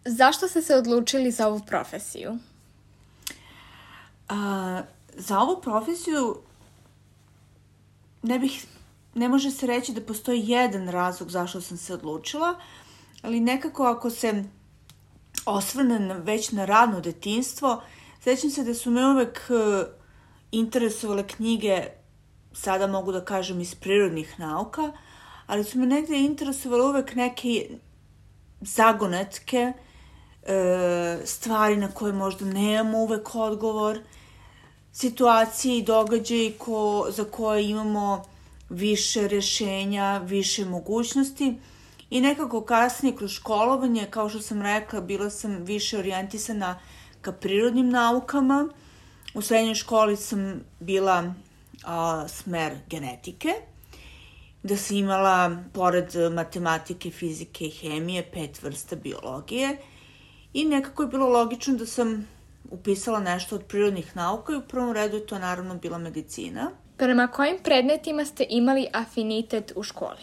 Zašto ste se odlučili za ovu profesiju? Za ovu profesiju ne može se reći da postoji jedan razlog zašto sam se odlučila, ali nekako ako se osvrnem već na radno detinjstvo, sećam se da su me uvek interesovale knjige, sada mogu da kažem iz prirodnih nauka, ali su me negde interesovale uvek neke zagonetke, stvari na koje možda nemamo uvek odgovor, situacije i događaje za koje imamo više rešenja, više mogućnosti i nekako kasnije kroz školovanje, kao što sam rekla, bila sam više orijentisana ka prirodnim naukama. U srednjoj školi sam bila smer genetike, da sam imala, pored matematike, fizike i hemije, 5 vrsta biologije i nekako je bilo logično da sam upisala nešto od prirodnih nauka i u prvom redu je to naravno bila medicina. Prema kojim predmetima ste imali afinitet u školi?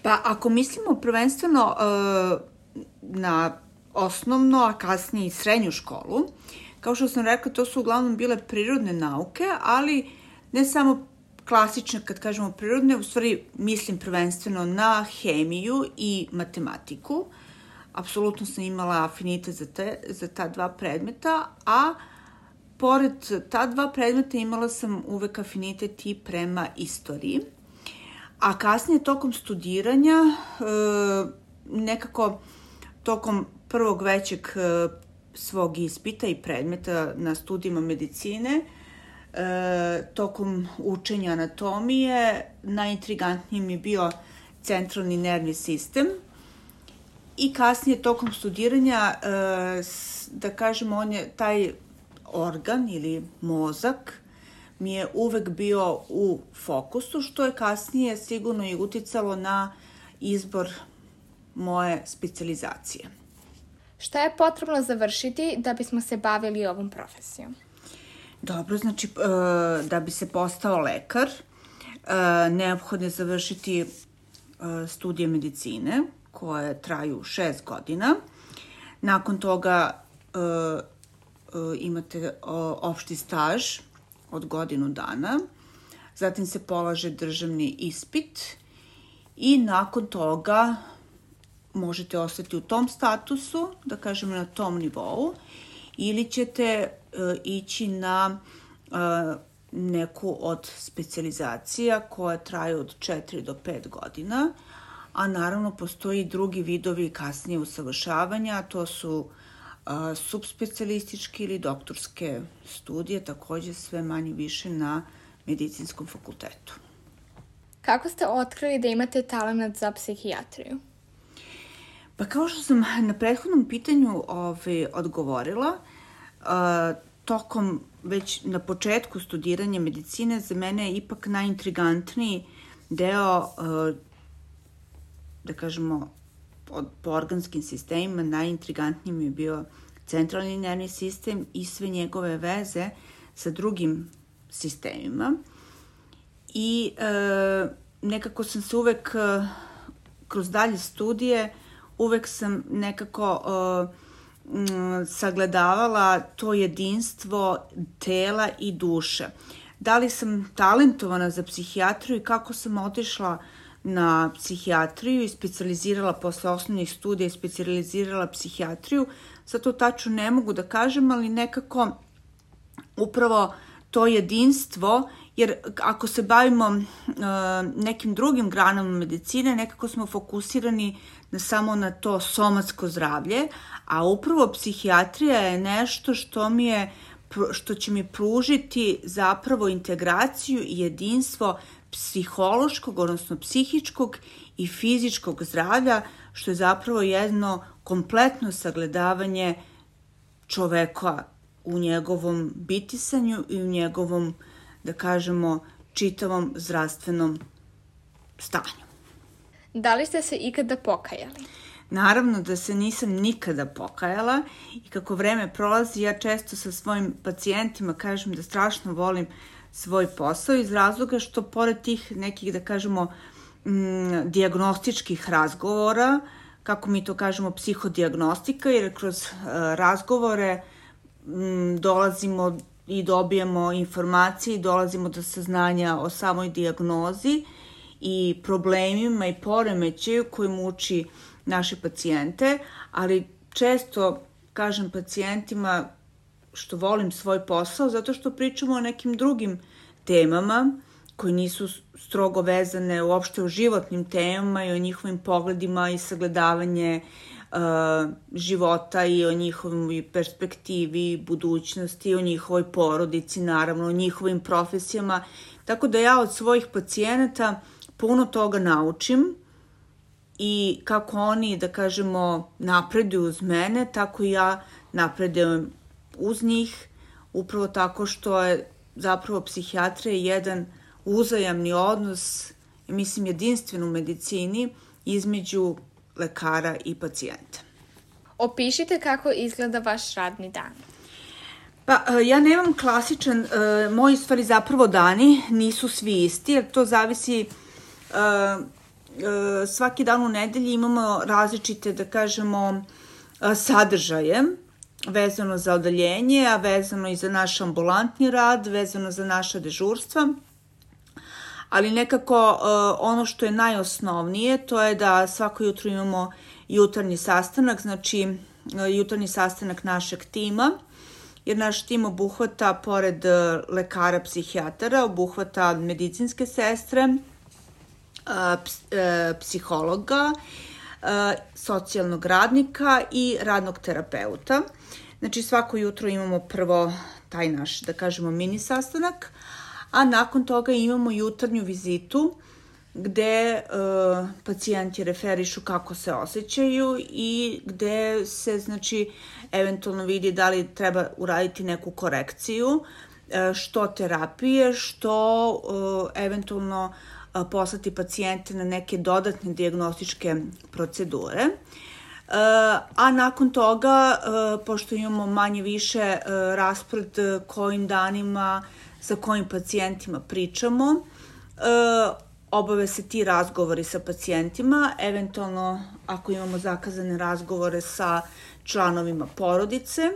Pa ako mislimo prvenstveno na osnovno, a kasnije i srednju školu, kao što sam rekla, to su uglavnom bile prirodne nauke, ali ne samo klasične, kad kažemo prirodne, u stvari mislim prvenstveno na hemiju i matematiku. Apsolutno sam imala afinitet za ta dva predmeta, a pored ta dva predmeta imala sam uvek afinitet i prema istoriji. A kasnije tokom studiranja, nekako tokom prvog većeg svog ispita i predmeta na studijima medicine, tokom učenja anatomije, najintrigantniji mi je bio centralni nervni sistem i kasnije tokom studiranja, da kažemo, on je taj organ ili mozak mi je uvek bio u fokusu, što je kasnije sigurno i uticalo na izbor moje specijalizacije. Šta je potrebno završiti da bismo se bavili ovom profesijom? Dobro, znači da bi se postao lekar, neophodno je završiti studije medicine koje traju 6 godina. Nakon toga imate opšti staž od godinu dana, zatim se polaže državni ispit i nakon toga možete ostati u tom statusu, da kažemo na tom nivou, ili ćete ići na neku od specijalizacija koja traju od 4 do 5 godina, a naravno postoji drugi vidovi kasnije usavršavanja, a to su subspecijalističke ili doktorske studije, takođe sve manje više na medicinskom fakultetu. Kako ste otkrili da imate talenat za psihijatriju? Pa kao što sam na prethodnom pitanju odgovorila, tokom već na početku studiranja medicine za mene je ipak najintrigantniji deo, da kažemo, po organskim sistemima, najintrigantniji mi je bio centralni nervni sistem i sve njegove veze sa drugim sistemima. I nekako sam se uvek, kroz dalje studije, uvek sam nekako sagledavala to jedinstvo tela i duše. Da li sam talentovana za psihijatriju i kako sam otišla na psihijatriju i specijalizirala posle osnovnih studija i specijalizirala psihijatriju, sad to tačno ne mogu da kažem, ali nekako upravo to jedinstvo, jer ako se bavimo nekim drugim granama medicine, nekako smo fokusirani samo na to somatsko zdravlje, a upravo psihijatrija je nešto što će mi pružiti zapravo integraciju i jedinstvo psihološkog, odnosno psihičkog i fizičkog zdravlja, što je zapravo jedno kompletno sagledavanje čoveka u njegovom bitisanju i u njegovom, da kažemo, čitavom zdravstvenom stanju. Da li ste se ikada pokajali? Naravno da se nisam nikada pokajala i kako vreme prolazi, ja često sa svojim pacijentima kažem da strašno volim svoj posao iz razloga što pored tih nekih, da kažemo, dijagnostičkih razgovora kako mi to kažemo, psihodijagnostika, jer kroz razgovore dolazimo i dobijemo informacije i dolazimo do saznanja o samoj dijagnozi i problemima i poremećaju koji muči naše pacijente, ali često kažem pacijentima što volim svoj posao zato što pričamo o nekim drugim temama koji nisu strogo vezane uopšte o životnim temama i o njihovim pogledima i sagledavanje života i o njihovoj perspektivi, budućnosti, o njihovoj porodici, naravno, o njihovim profesijama. Tako da ja od svojih pacijenata puno toga naučim i kako oni, da kažemo, napreduju uz mene, tako i ja napredujem uz njih, upravo tako što je zapravo psihijatrija jedan uzajamni odnos, mislim jedinstven u medicini, između lekara i pacijenta. Opišite kako izgleda vaš radni dan. Pa, ja nemam klasičan, moji stvari zapravo dani nisu svi isti, jer to zavisi, svaki dan u nedelji imamo različite, da kažemo, sadržaje, vezano za odeljenje, a vezano i za naš ambulantni rad, vezano za naša dežurstva. Ali nekako ono što je najosnovnije, to je da svako jutro imamo jutarnji sastanak, znači jutarnji sastanak našeg tima, jer naš tim obuhvata, pored lekara psihijatara, obuhvata medicinske sestre, psihologa, socijalnog radnika i radnog terapeuta. Znači svako jutro imamo prvo taj naš, da kažemo, mini sastanak, a nakon toga imamo jutarnju vizitu gde pacijenti referišu kako se osjećaju i gde se, znači, eventualno vidi da li treba uraditi neku korekciju, što terapije, što eventualno poslati pacijente na neke dodatne dijagnostičke procedure. A nakon toga, pošto imamo manje više raspored kojim danima sa kojim pacijentima pričamo, obave se ti razgovori sa pacijentima, eventualno ako imamo zakazane razgovore sa članovima porodice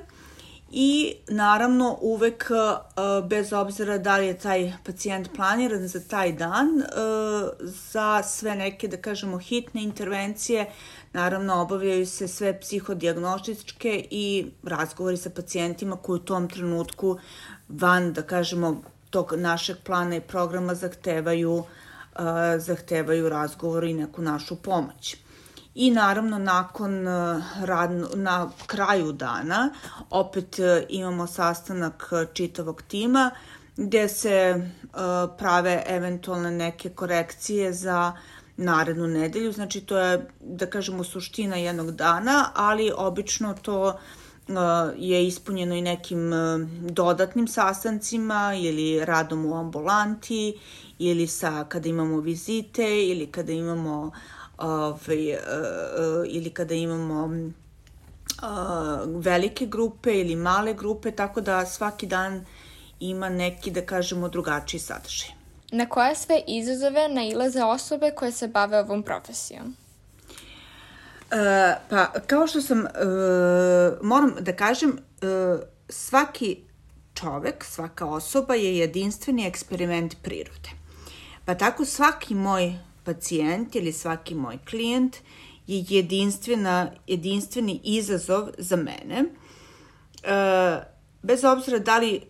i naravno uvek, bez obzira da li je taj pacijent planiran za taj dan, za sve neke, da kažemo, hitne intervencije, naravno obavljaju se sve psihodijagnostičke i razgovori sa pacijentima koji u tom trenutku van, da kažemo, tog našeg plana i programa zahtevaju razgovor i neku našu pomoć. I naravno na kraju dana opet imamo sastanak čitavog tima gde se prave eventualne neke korekcije za narednu nedelju. Znači to je, da kažemo, suština jednog dana, ali obično to je ispunjeno i nekim dodatnim sastancima ili radom u ambulanti ili kada imamo vizite ili kada imamo velike grupe ili male grupe, tako da svaki dan ima neki, da kažemo, drugačiji sadržaj. Na koje sve izazove nailaze osobe koje se bave ovom profesijom? Pa, kao što sam, moram da kažem, svaki čovek, svaka osoba je jedinstveni eksperiment prirode. Pa tako svaki moj pacijent ili svaki moj klijent je jedinstveni izazov za mene. Bez obzira da li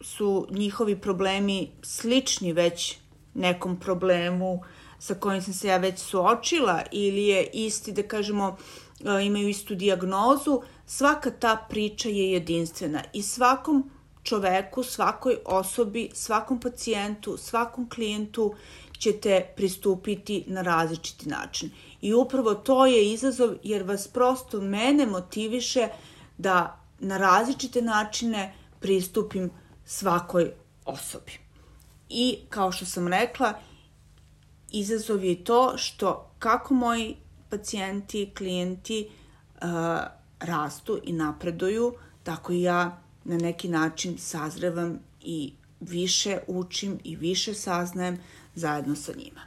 su njihovi problemi slični već nekom problemu sa kojim sam se ja već suočila ili je isti, da kažemo, imaju istu dijagnozu, svaka ta priča je jedinstvena i svakom čoveku, svakoj osobi, svakom pacijentu, svakom klijentu ćete pristupiti na različiti način. I upravo to je izazov jer vas prosto mene motiviše da na različite načine pristupim svakoj osobi. I kao što sam rekla, izazov je to što kako moji pacijenti, klijenti rastu i napreduju, tako i ja na neki način sazrevam i više učim i više saznajem zajedno sa njima.